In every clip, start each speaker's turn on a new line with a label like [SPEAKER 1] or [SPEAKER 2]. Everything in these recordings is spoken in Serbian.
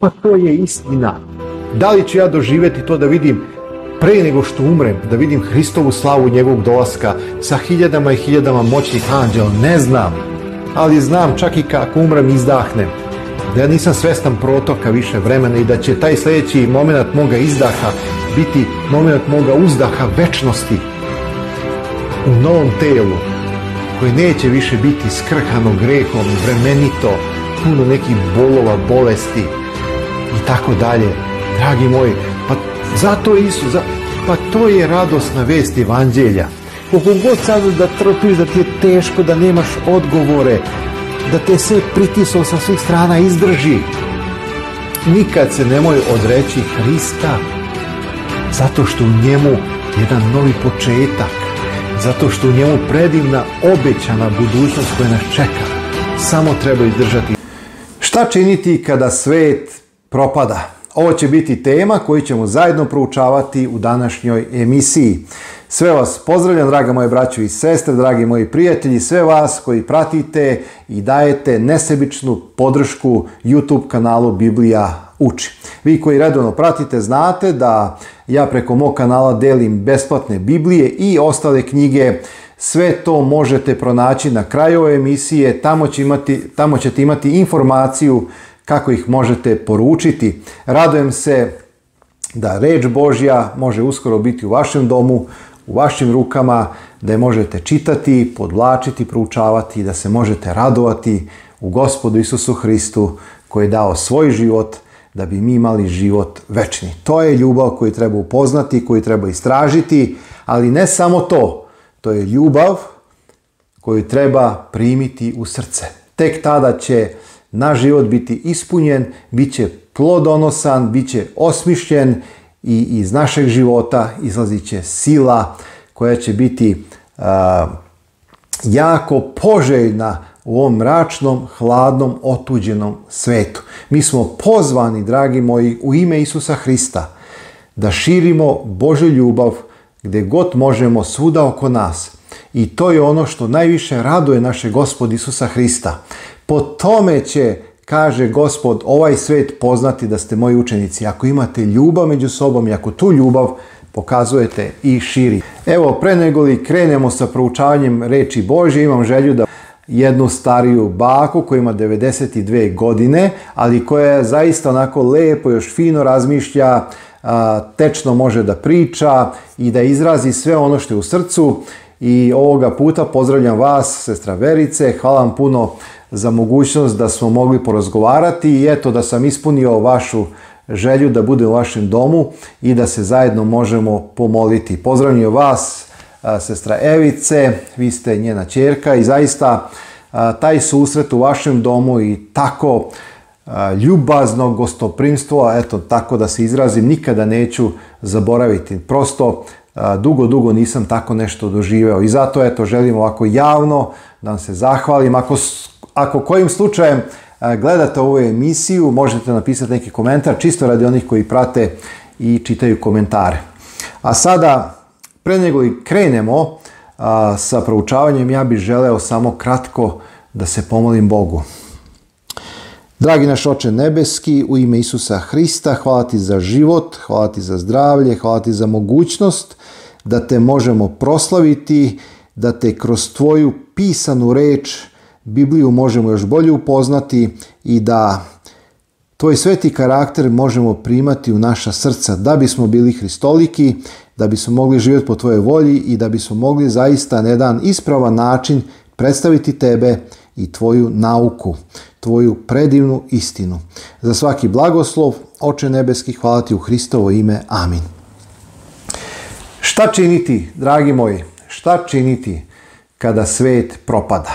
[SPEAKER 1] Pa to je istina. Da li ću ja doživjeti to da vidim pre nego što umrem, da vidim Hristovu slavu njegovog dolaska sa hiljadama i hiljadama moćnih anđela? Ne znam. Ali znam, čak i kako umrem, izdahnem, da ja nisam svestan protoka više vremena i da će taj sljedeći moment moga izdaha biti moment moga uzdaha večnosti u novom telu, koje neće više biti skrhano grehom, vremenito, puno nekih bolova, bolesti i tako dalje. Dragi moji, pa zato Isus, pa to je radosna vest evanđelja. Koliko god sad da trpiš, da ti je teško, da nemaš odgovore, da te sve pritislo sa svih strana, izdrži. Nikad se nemoj odreći Hrista, zato što u njemu jedan novi početak, zato što u njemu predivna obećana budućnost koja nas čeka. Samo treba izdržati. Šta činiti kada svet propada? Ovo će biti tema koju ćemo zajedno proučavati u današnjoj emisiji. Sve vas pozdravljam, draga moje braćo i sestre, dragi moji prijatelji, sve vas koji pratite i dajete nesebičnu podršku YouTube kanalu Biblija uči. Vi koji redovno pratite znate da ja preko mog kanala delim besplatne Biblije i ostale knjige. Sve to možete pronaći na kraju ove emisije, tamo ćete imati informaciju kako ih možete poručiti. Radujem se da reč Božja može uskoro biti u vašem domu, u vašim rukama, da je možete čitati, podvlačiti, proučavati i da se možete radovati u Gospodu Isusu Hristu koji je dao svoj život da bi mi imali život večni. To je ljubav koju treba upoznati, koju treba istražiti, ali ne samo to. To je ljubav koju treba primiti u srce. Tek tada će naš život biti ispunjen, bit će plodonosan, bit će osmišljen i iz našeg života izlazit će sila koja će biti jako poželjna u ovom mračnom, hladnom, otuđenom svetu. Mi smo pozvani, dragi moji, u ime Isusa Hrista da širimo Božju ljubav gdje god možemo, svuda oko nas. I to je ono što najviše raduje naše Gospod Isusa Hrista. Po tome će, kaže Gospod, ovaj svet poznati da ste moji učenici. Ako imate ljubav među sobom i ako tu ljubav pokazujete i širi. Evo, pre nego li krenemo sa proučavanjem reči Božje, imam želju da jednu stariju baku koja ima 92 godine, ali koja je zaista onako lepo, još fino razmišlja, tečno može da priča i da izrazi sve ono što je u srcu. I ovoga puta pozdravljam vas, sestra Verice, hvala vam puno za mogućnost da smo mogli porazgovarati i eto da sam ispunio vašu želju da budem u vašem domu i da se zajedno možemo pomoliti. Pozdravljam vas, sestra Evice, vi ste njena ćerka i zaista taj susret u vašem domu i tako ljubazno gostoprimstvo, eto tako da se izrazim, nikada neću zaboraviti. Prosto dugo nisam tako nešto doživeo i zato eto želim ovako javno da vam se zahvalim. Ako kojim slučajem gledate ovu emisiju, možete napisati neki komentar, čisto radi onih koji prate i čitaju komentare. A sada, pre nego li krenemo sa proučavanjem, ja bih želeo samo kratko da se pomolim Bogu. Dragi naš Oče nebeski, u ime Isusa Hrista, hvala ti za život, hvala ti za zdravlje, hvala ti za mogućnost da te možemo proslaviti, da te kroz tvoju pisanu reč, Bibliju, možemo još bolje upoznati i da tvoj sveti karakter možemo primati u naša srca, da bismo bili hristoliki, da bismo mogli živjeti po tvojoj volji i da bismo mogli zaista na jedan ispravan način predstaviti tebe i tvoju nauku, tvoju predivnu istinu. Za svaki blagoslov, Oče nebeski, hvala ti u Hristovo ime. Amin. Šta činiti, dragi moji, šta činiti kada svet propada?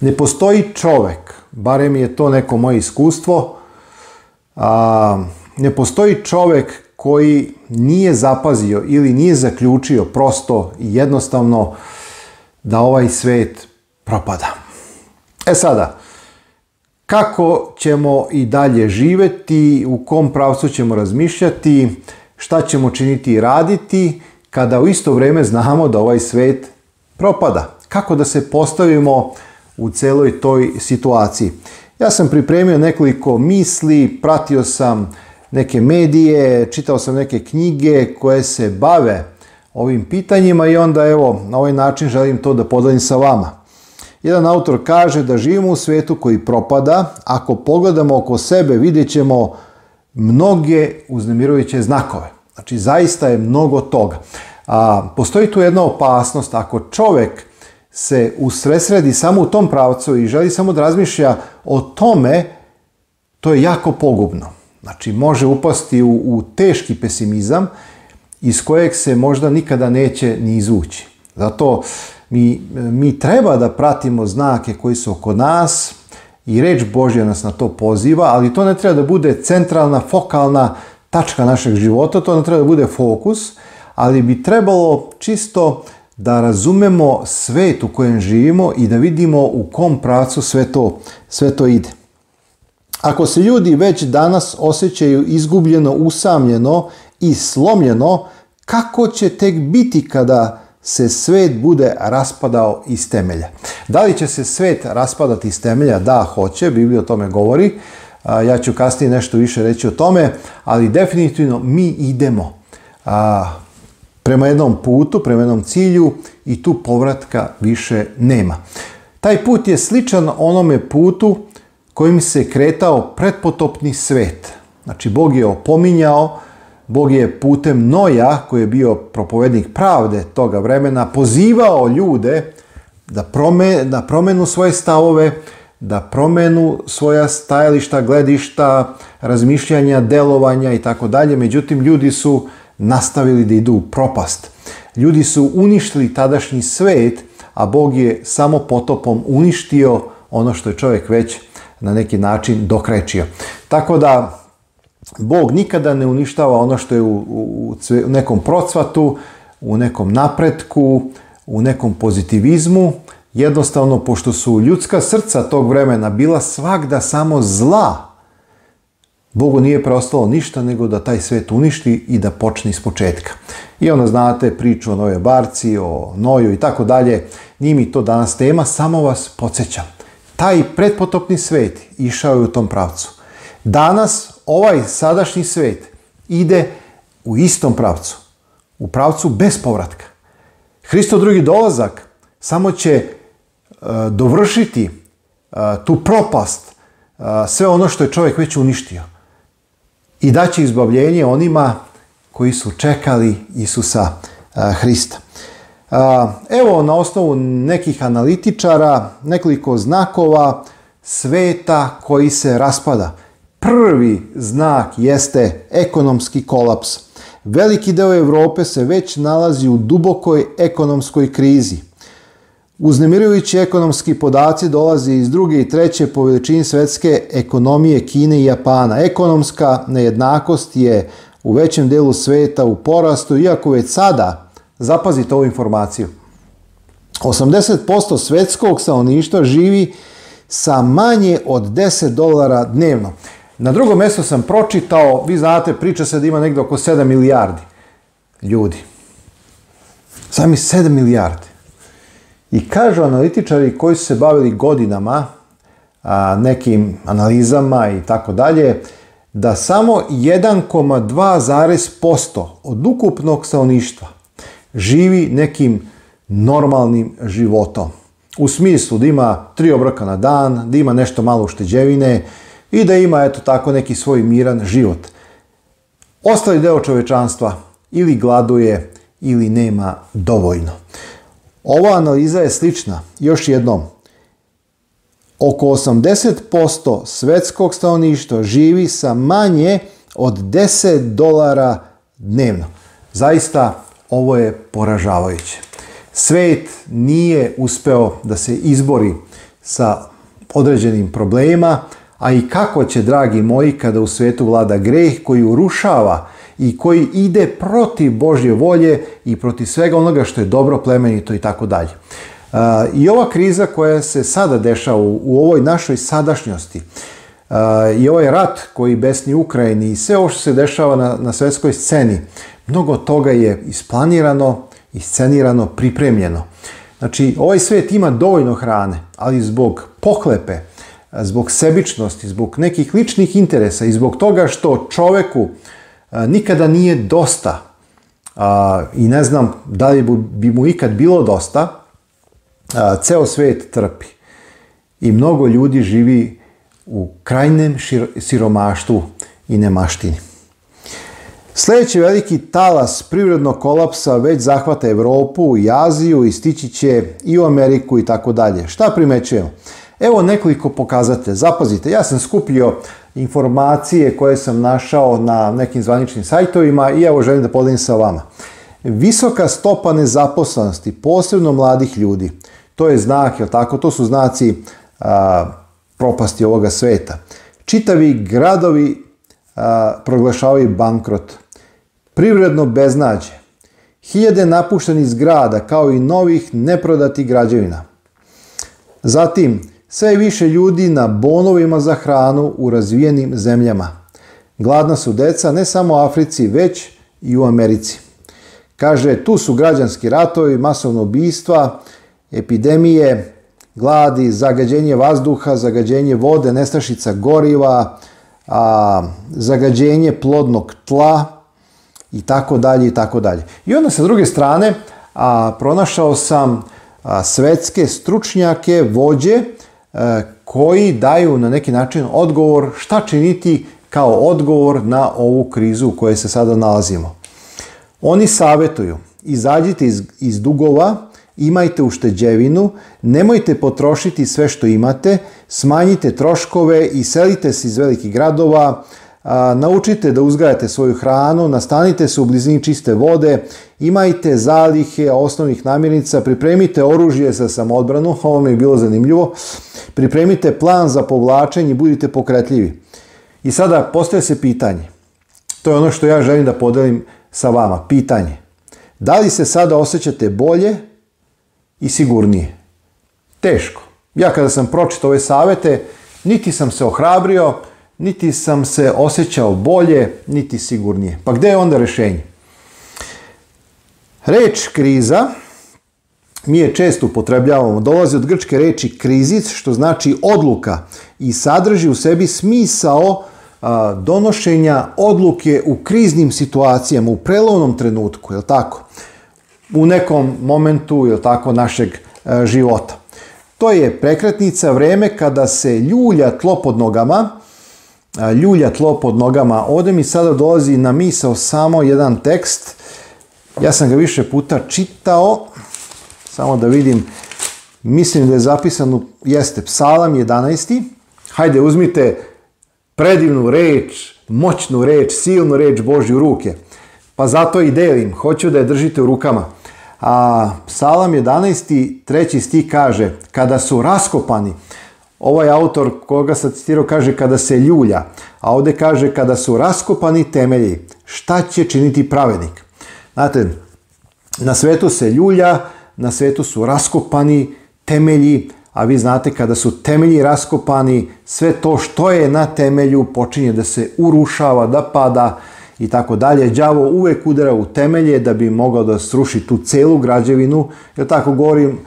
[SPEAKER 1] Ne postoji čovjek, barem je to neko moje iskustvo, ne postoji čovjek koji nije zapazio ili nije zaključio prosto i jednostavno da ovaj svet propada. E sada, kako ćemo i dalje živjeti, u kom pravcu ćemo razmišljati, šta ćemo činiti i raditi kada u isto vrijeme znamo da ovaj svet propada? Kako da se postavimo u celoj toj situaciji? Ja sam pripremio nekoliko misli, pratio sam neke medije, čitao sam neke knjige koje se bave ovim pitanjima i onda evo na ovaj način želim to da podelim sa vama. Jedan autor kaže da živimo u svetu koji propada. Ako pogledamo oko sebe vidjet ćemo mnoge uznemirujuće znakove. Znači zaista je mnogo toga. Postoji tu jedna opasnost ako čovjek se usredsredi samo u tom pravcu i želi samo da razmišlja o tome, to je jako pogubno. Znači može upasti u teški pesimizam iz kojeg se možda nikada neće ni izvući. Zato mi treba da pratimo znake koji su oko nas i reč Božja nas na to poziva, ali to ne treba da bude centralna, fokalna tačka našeg života, to ne treba da bude fokus, ali bi trebalo čisto da razumemo svet u kojem živimo i da vidimo u kom pravcu sve to ide. Ako se ljudi već danas osjećaju izgubljeno, usamljeno i slomljeno, kako će tek biti kada se svet bude raspadao iz temelja? Da li će se svet raspadati iz temelja? Da, hoće, Biblija o tome govori. Ja ću kasnije nešto više reći o tome, ali definitivno mi idemo prema jednom putu, prema jednom cilju i tu povratka više nema. Taj put je sličan onome putu kojim se kretao pretpotopni svet. Znači, Bog je opominjao, Bog je putem Noja, koji je bio propovednik pravde toga vremena, pozivao ljude da promenu svoje stavove, da promenu svoja stajališta, gledišta, razmišljanja, delovanja i tako dalje. Međutim, ljudi su nastavili da idu u propast. Ljudi su uništili tadašnji svet, a Bog je samo potopom uništio ono što je čovjek već na neki način dokrečio. Tako da Bog nikada ne uništava ono što je u nekom procvatu, u nekom napretku, u nekom pozitivizmu. Jednostavno, pošto su ljudska srca tog vremena bila svagda samo zla, Bogu nije preostalo ništa nego da taj svet uništi i da počne iz početka. I onda znate priču o Novoj barci, o Noju i tako dalje. Nije mi to danas tema, samo vas podsjećam. Taj pretpotopni svet išao je u tom pravcu. Danas ovaj sadašnji svet ide u istom pravcu. U pravcu bez povratka. Hristov drugi dolazak samo će dovršiti tu propast, sve ono što je čovjek već uništio. I daće izbavljenje onima koji su čekali Isusa Hrista. Evo na osnovu nekih analitičara, nekoliko znakova sveta koji se raspada. Prvi znak jeste ekonomski kolaps. Veliki deo Europe se već nalazi u dubokoj ekonomskoj krizi. Uznemirujući ekonomski podaci dolaze iz druge i treće po veličini svetske ekonomije Kine i Japana. Ekonomska nejednakost je u većem delu sveta u porastu, iako već sada, zapazite ovu informaciju, 80% svetskog stanovništva živi sa manje od $10 dnevno. Na drugom mjestu sam pročitao, vi znate, priča se da ima negdje oko 7 milijardi ljudi. Sami 7 milijardi. I kažu analitičari koji su se bavili godinama nekim analizama i tako dalje, da samo 1,2% od ukupnog stanovništva živi nekim normalnim životom. U smislu da ima 3 obroka na dan, da ima nešto malo ušteđevine i da ima eto tako neki svoj miran život. Ostali deo čovečanstva ili gladuje ili nema dovoljno. Ova analiza je slična, još jednom. Oko 80% svetskog stanovništva živi sa manje od $10 dnevno. Zaista ovo je poražavajuće. Svet nije uspeo da se izbori sa određenim problemima, a i kako će, dragi moji, kada u svetu vlada greh koji urušava i koji ide protiv Božje volje i protiv svega onoga što je dobro, plemenito i tako dalje. I ova kriza koja se sada dešava u ovoj našoj sadašnjosti i ovaj rat koji besni u Ukrajini i sve ovo što se dešava na svjetskoj sceni, mnogo toga je isplanirano, iscenirano, pripremljeno. Znači, ovaj svijet ima dovoljno hrane, ali zbog pohlepe, zbog sebičnosti, zbog nekih ličnih interesa i zbog toga što čoveku nikada nije dosta i ne znam da li bi mu ikad bilo dosta, ceo svet trpi. I mnogo ljudi živi u krajnjem siromaštvu i nemaštini. Sljedeći veliki talas privrednog kolapsa već zahvata Evropu i Aziju i stići će i u Ameriku i tako dalje. Šta primećujemo? Evo nekoliko pokazatelja. Zapazite, ja sam skupio informacije koje sam našao na nekim zvaničnim sajtovima i evo želim da podelim sa vama. Visoka stopa nezaposlenosti, posebno mladih ljudi, to je znak, jel tako? To su znaci propasti ovoga sveta. Čitavi gradovi proglašavaju bankrot. Privredno beznađe. Hiljade napuštenih zgrada kao i novih neprodatih građevina. Zatim, sve više ljudi na bonovima za hranu u razvijenim zemljama. Gladna su deca ne samo u Africi, već i u Americi. Kaže, tu su građanski ratovi, masovno ubistva, epidemije, gladi, zagađenje vazduha, zagađenje vode, nestašica goriva, zagađenje plodnog tla i tako dalje i tako dalje. I onda sa druge strane pronašao sam svetske stručnjake, vođe koji daju na neki način odgovor šta činiti kao odgovor na ovu krizu u kojoj se sada nalazimo. Oni savjetuju, izađite iz dugova, imajte ušteđevinu, nemojte potrošiti sve što imate, smanjite troškove i selite se iz velikih gradova, naučite da uzgajate svoju hranu, nastanite se u blizini čiste vode, imajte zalihe osnovnih namirnica, pripremite oružje za samoodbranu, ovo mi je bilo zanimljivo, pripremite plan za povlačenje i budite pokretljivi. I sada postaje se pitanje, to je ono što ja želim da podelim sa vama, pitanje. Da li se sada osjećate bolje i sigurnije? Teško. Ja kada sam pročitao ove savjete, niti sam se ohrabrio, niti sam se osjećao bolje, niti sigurnije. Pa gdje je onda rješenje? Reč kriza, mi je često upotrebljavamo, dolazi od grčke reči krizis, što znači odluka i sadrži u sebi smisao donošenja odluke u kriznim situacijama, u prelovnom trenutku, je li tako? U nekom momentu, je li tako, našeg života. To je prekretnica, vreme kada se ljulja tlo pod nogama. Ovdje mi sada dolazi na misao samo jedan tekst. Ja sam ga više puta čitao. Samo da vidim. Mislim da je zapisano, jeste Psalam 11. Hajde, uzmite predivnu reč, moćnu reč, silnu reč Božju u ruke. Pa zato i delim. Hoću da je držite u rukama. Psalam 11. 3. stih kaže, kada su raskopani, ovaj autor koga sam citirao kaže kada se ljulja, a ovdje kaže kada su raskopani temelji, šta će činiti pravednik? Znate, na svetu se ljulja, na svetu su raskopani temelji, a vi znate kada su temelji raskopani, sve to što je na temelju počinje da se urušava, da pada i tako dalje. Đavo uvek udara u temelje da bi mogao da sruši tu celu građevinu, jer tako govorim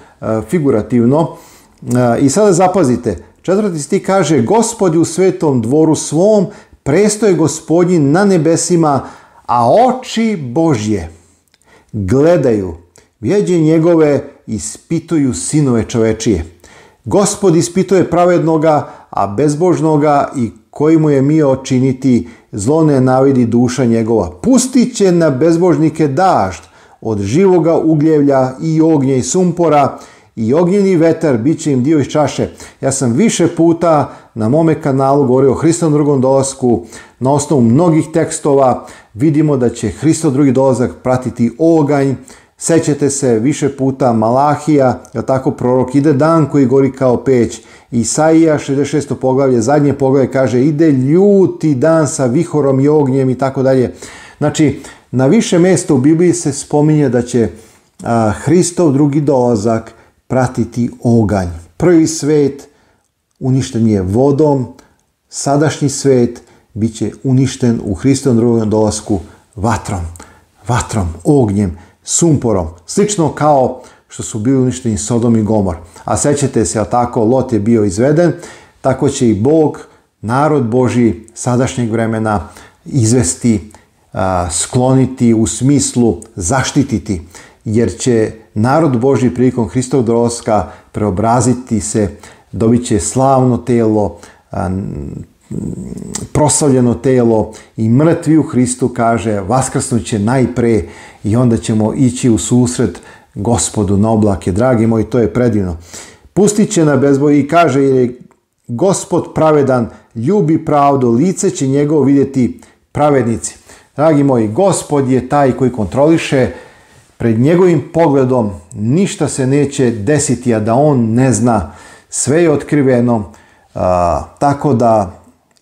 [SPEAKER 1] figurativno. I sada zapazite, 4. stih kaže, Gospod je u svetom dvoru svom, presto je Gospodin na nebesima, a oči Božje gledaju, vjeđe njegove ispituju sinove čovečije. Gospod ispituje pravednoga, a bezbožnoga i koji mu je mio činiti, zlo ne navidi duša njegova. Pustit će na bezbožnike dažd od živoga ugljevlja i ognja i sumpora, i ognjeni vetar bit će im dio iz čaše. Ja sam više puta na mome kanalu govorio o Hristovom drugom dolasku. Na osnovu mnogih tekstova vidimo da će Hristov drugi dolazak pratiti oganj. Sećate se više puta Malahija, je tako prorok, ide dan koji gori kao peć. Isaija 66. poglavlje, zadnje poglavlje kaže ide ljuti dan sa vihorom i ognjem i tako dalje. Znači, na više mjesta u Bibliji se spominje da će Hristov drugi dolazak pratiti oganj. Prvi svet uništen je vodom, sadašnji svet bit će uništen u Hristovom drugom dolasku vatrom, ognjem, sumporom. Slično kao što su bili uništeni Sodom i Gomor. A sećate se, tako, Lot je bio izveden, tako će i Bog, narod Božji sadašnjeg vremena izvesti, skloniti, u smislu zaštititi, jer će narod Božji prilikom Hristovog dolaska preobraziti se, dobit će slavno telo, proslavljeno telo i mrtvi u Hristu, kaže, vaskrsnut će najpre i onda ćemo ići u susret Gospodu na oblake. Dragi moji, to je predivno. Pustit će na bezboj i kaže, jer je Gospod pravedan, ljubi pravdu, lice će njegovo vidjeti pravednici. Dragi moji, Gospod je taj koji kontroliše, pred njegovim pogledom ništa se neće desiti, a da on ne zna, sve je otkriveno, tako da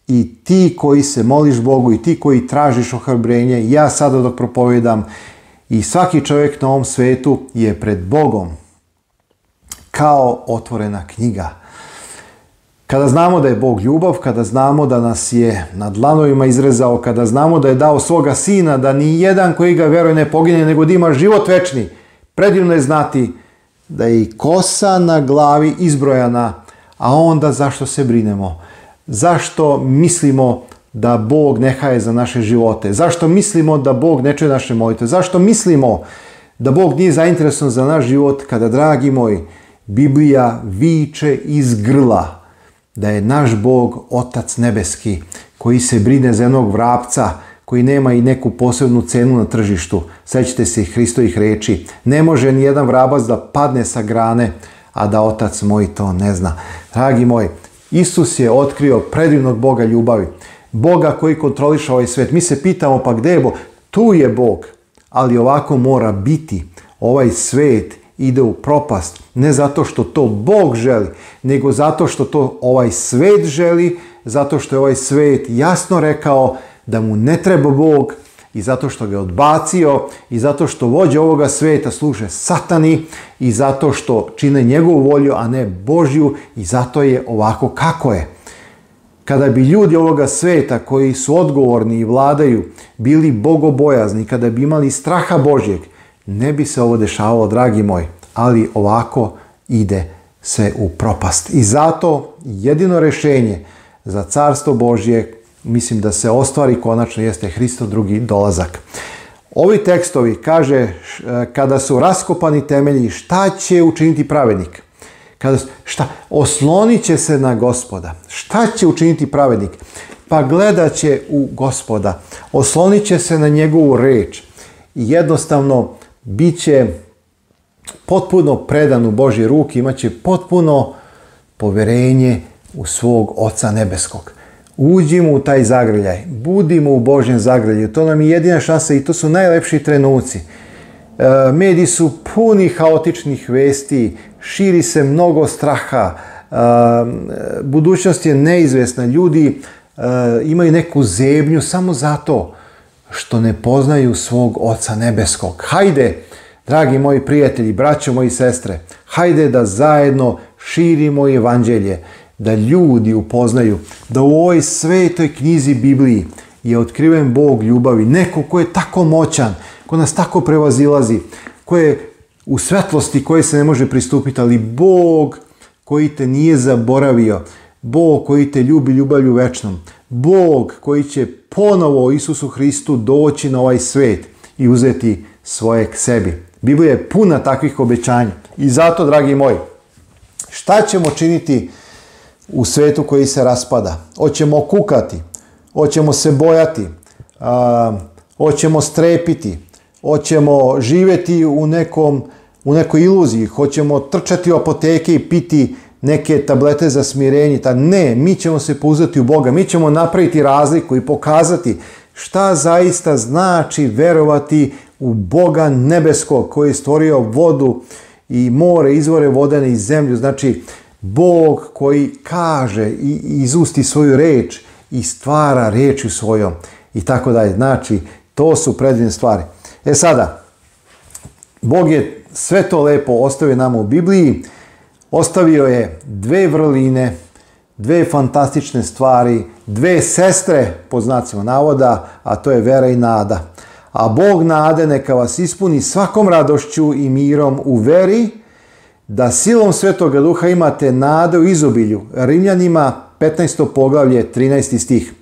[SPEAKER 1] i ti koji se moliš Bogu i ti koji tražiš ohrabrenje, ja sada dok propovedam, i svaki čovjek na ovom svetu je pred Bogom kao otvorena knjiga. Kada znamo da je Bog ljubav, kada znamo da nas je na dlanovima izrezao, kada znamo da je dao svoga sina, da ni jedan koji ga veruje ne pogine, nego da ima život večni, predivno je znati da je i kosa na glavi izbrojana, a onda zašto se brinemo? Zašto mislimo da Bog ne haje za naše živote? Zašto mislimo da Bog ne čuje naše molitve? Zašto mislimo da Bog nije zainteresovan za naš život kada, dragi moji, Biblija viče iz grla da je naš Bog Otac nebeski koji se brine za jednog vrapca koji nema i neku posebnu cenu na tržištu. Sećate se Hristovih riječi. Ne može ni jedan vrabac da padne sa grane, a da Otac moj to ne zna. Dragi moji, Isus je otkrio predivnog Boga ljubavi. Boga koji kontroliše ovaj svijet. Mi se pitamo, pa gdje je Bog? Tu je Bog, ali ovako mora biti. Ovaj svijet ide u propast, ne zato što to Bog želi, nego zato što to ovaj svijet želi, zato što je ovaj svijet jasno rekao da mu ne treba Bog i zato što ga je odbacio i zato što vođe ovoga svijeta služe satani i zato što čine njegovu volju, a ne Božju, i zato je ovako kako je. Kada bi ljudi ovoga svijeta koji su odgovorni i vladaju bili bogobojazni, kada bi imali straha Božjeg, ne bi se ovo dešavalo, dragi moji, ali ovako ide se u propast. I zato jedino rješenje za carstvo Božje, mislim da se ostvari konačno, jeste Hristov drugi dolazak. Ovi tekstovi, kaže, kada su raskopani temelji, šta će učiniti pravednik? Oslonit će se na Gospoda. Šta će učiniti pravednik? Pa gledat će u Gospoda. Oslonit će se na njegovu reč. I jednostavno bit će potpuno predan u Božje ruke, imat će potpuno poverenje u svog Oca nebeskog. Uđimo u taj zagrljaj, budimo u Božjem zagrljaju, to nam je jedina šansa i to su najlepši trenuci. Mediji su puni haotičnih vesti, širi se mnogo straha, budućnost je neizvjesna, ljudi imaju neku zebnju samo zato što ne poznaju svog Oca nebeskog. Hajde, dragi moji prijatelji, braćo moji sestre, hajde da zajedno širimo evanđelje, da ljudi upoznaju da u ovoj svetoj knjizi Bibliji je otkriven Bog ljubavi, neko ko je tako moćan, ko nas tako prevazilazi, ko je u svetlosti koje se ne može pristupiti, ali Bog koji te nije zaboravio, Bog koji te ljubi ljubavlju večnom, Bog koji će ponovo Isusu Hristu doći na ovaj svet i uzeti svoje k sebi. Biblija je puna takvih obećanja. I zato, dragi moji, šta ćemo činiti u svetu koji se raspada? Hoćemo kukati, hoćemo se bojati, hoćemo strepiti, hoćemo živjeti u nekoj iluziji, hoćemo trčati u apoteke i piti neke tablete za smirenje. Ne, mi ćemo se pouzdati u Boga, mi ćemo napraviti razliku i pokazati šta zaista znači verovati u Boga nebeskog koji je stvorio vodu i more, izvore vodene i zemlju. Znači, Bog koji kaže i izusti svoju reč i stvara rečju svojom i tako dalje. Znači, to su predivne stvari. Sada, Bog je sve to lepo ostavio nama u Bibliji. Ostavio je dve vrline, dve fantastične stvari, dve sestre, po znacima navoda, a to je vera i nada. A Bog nade neka vas ispuni svakom radošću i mirom u veri, da silom Svetoga Duha imate nade u izobilju. Rimljanima 15. poglavlje, 13. stih.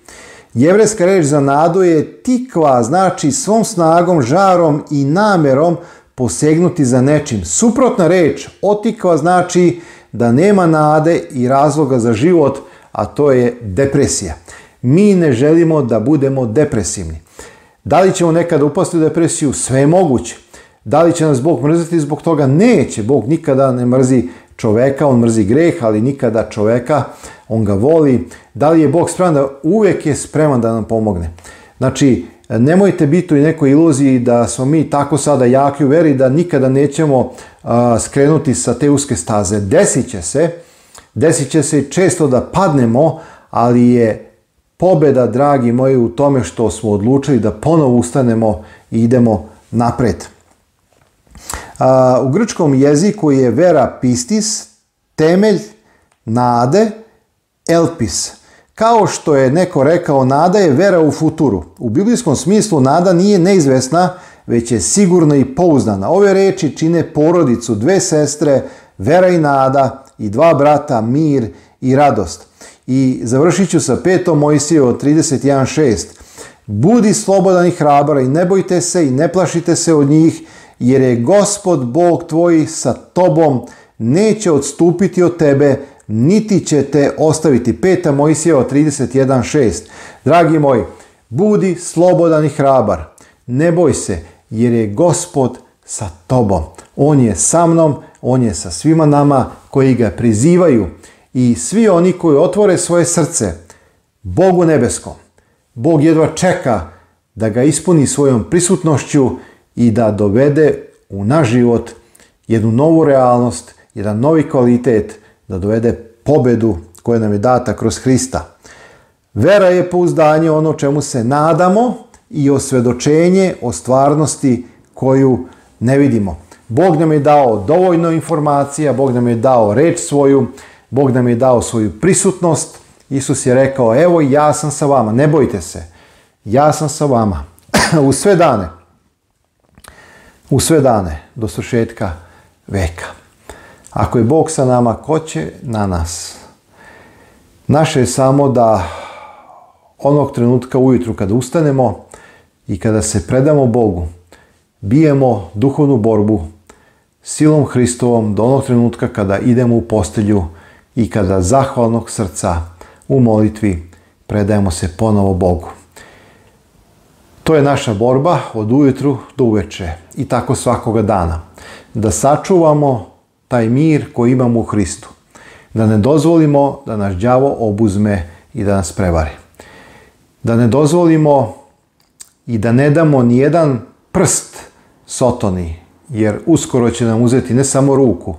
[SPEAKER 1] Jevrejska reč za nadu je tikva, znači svom snagom, žarom i namerom posegnuti za nečim. Suprotna reč, otikva, znači da nema nade i razloga za život, a to je depresija. Mi ne želimo da budemo depresivni. Da li ćemo nekada upasti u depresiju? Sve je moguće. Da li će nas Bog mrziti zbog toga? Neće. Bog nikada ne mrzi čoveka, on mrzi greh, ali nikada čoveka, on ga voli. Da li je Bog spreman? Uvijek je spreman da nam pomogne. Znači, nemojte biti u nekoj iluziji da smo mi tako sada jaki u veri da nikada nećemo skrenuti sa te uske staze. Desit će se često da padnemo, ali je pobjeda, dragi moji, u tome što smo odlučili da ponovo ustanemo i idemo napred. U grčkom jeziku je vera pistis, temelj nade, elpis. Kao što je neko rekao, nada je vera u futuru. U biblijskom smislu nada nije neizvesna, već je sigurna i pouzdana. Ove reči čine porodicu, dve sestre, vera i nada, i dva brata, mir i radost. I završit ću sa 5. Mojsijevom 31.6. Budi slobodan i hrabar i ne bojte se i ne plašite se od njih, jer je Gospod Bog tvoj sa tobom, neće odstupiti od tebe, niti će te ostaviti. 5. Mojsijeva 31.6. Dragi moji, budi slobodan i hrabar. Ne boj se, jer je Gospod sa tobom. On je sa mnom, on je sa svima nama koji ga prizivaju. I svi oni koji otvore svoje srce Bogu nebeskom, Bog jedva čeka da ga ispuni svojom prisutnošću i da dovede u naš život jednu novu realnost, jedan novi kvalitet, da dovede pobedu koja nam je data kroz Hrista. Vera je pouzdanje, ono čemu se nadamo, i osvjedočenje o stvarnosti koju ne vidimo. Bog nam je dao dovoljno informacija, Bog nam je dao reč svoju, Bog nam je dao svoju prisutnost. Isus je rekao, evo ja sam sa vama, ne bojte se, ja sam sa vama u sve dane do svršetka veka. Ako je Bog sa nama, ko će na nas? Naše je samo da onog trenutka ujutru kada ustanemo i kada se predamo Bogu, bijemo duhovnu borbu silom Hristovom do onog trenutka kada idemo u postelju i kada zahvalnog srca u molitvi predajemo se ponovo Bogu. To je naša borba od ujutru do uveče i tako svakoga dana. Da sačuvamo taj mir koji imamo u Hristu. Da ne dozvolimo da nas đavo obuzme i da nas prevari. Da ne dozvolimo i da ne damo ni jedan prst Sotoni, jer uskoro će nam uzeti ne samo ruku,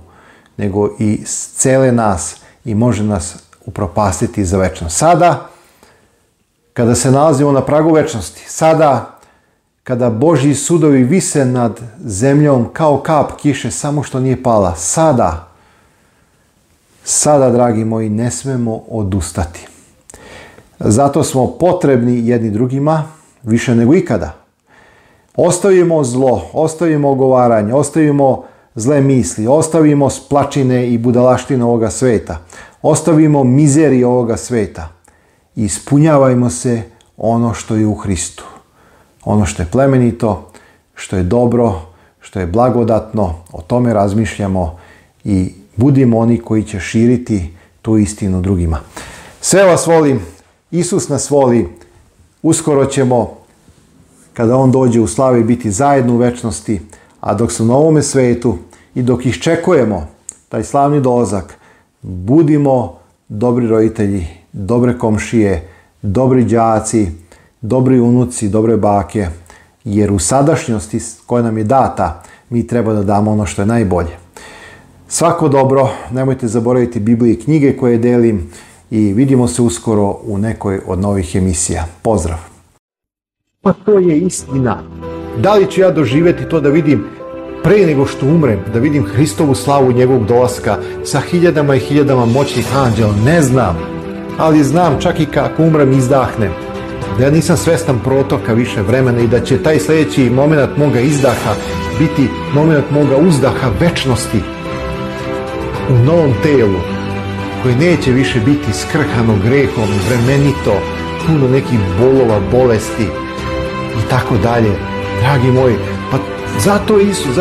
[SPEAKER 1] nego i cele nas i može nas upropastiti za večnost. Sada, kada se nalazimo na pragu večnosti, sada, kada Božji sudovi vise nad zemljom kao kap kiše, samo što nije pala, sada, dragi moji, ne smemo odustati. Zato smo potrebni jedni drugima više nego ikada. Ostavimo zlo, ostavimo ogovaranje, ostavimo zle misli, ostavimo splačine i budalaštine ovoga sveta, ostavimo mizerije ovoga sveta i ispunjavajmo se ono što je u Hristu. Ono što je plemenito, što je dobro, što je blagodatno, o tome razmišljamo i budimo oni koji će širiti tu istinu drugima. Sve vas volim, Isus nas voli, uskoro ćemo, kada on dođe u slavi, biti zajedno u večnosti, a dok su na ovome svetu i dok iščekujemo taj slavni dolazak, budimo dobri roditelji, dobre komšije, dobri đaci, dobri unuci, dobre bake, jer u sadašnjosti koja nam je data, mi treba da damo ono što je najbolje. Svako dobro, nemojte zaboraviti Bibliju i knjige koje delim i vidimo se uskoro u nekoj od novih emisija. Pozdrav! Pa to je istina. Da li ću ja doživjeti to da vidim pre nego što umrem, da vidim Hristovu slavu njegovog dolaska sa hiljadama i hiljadama moćnih anđela? Ne znam, ali znam čak i kako umrem izdahnem, da ja nisam svestan protoka više vremena i da će taj sljedeći moment moga izdaha biti moment moga uzdaha večnosti u novom telu koje neće više biti skrhano grehom, vremenito, puno nekih bolova, bolesti i tako dalje. Dragi moji, pa zato Isus,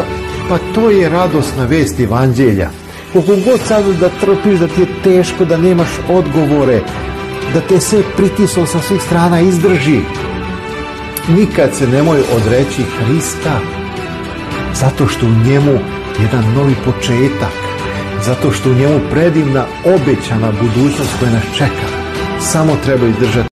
[SPEAKER 1] pa to je radosna vest evanđelja. Koliko god sad da trpiš, da ti je teško, da nemaš odgovore, da te sve pritislo sa svih strana, izdrži. Nikad se nemoj odreći Hrista, zato što u njemu jedan novi početak, zato što u njemu predivna obećana budućnost koja nas čeka. Samo treba izdržati.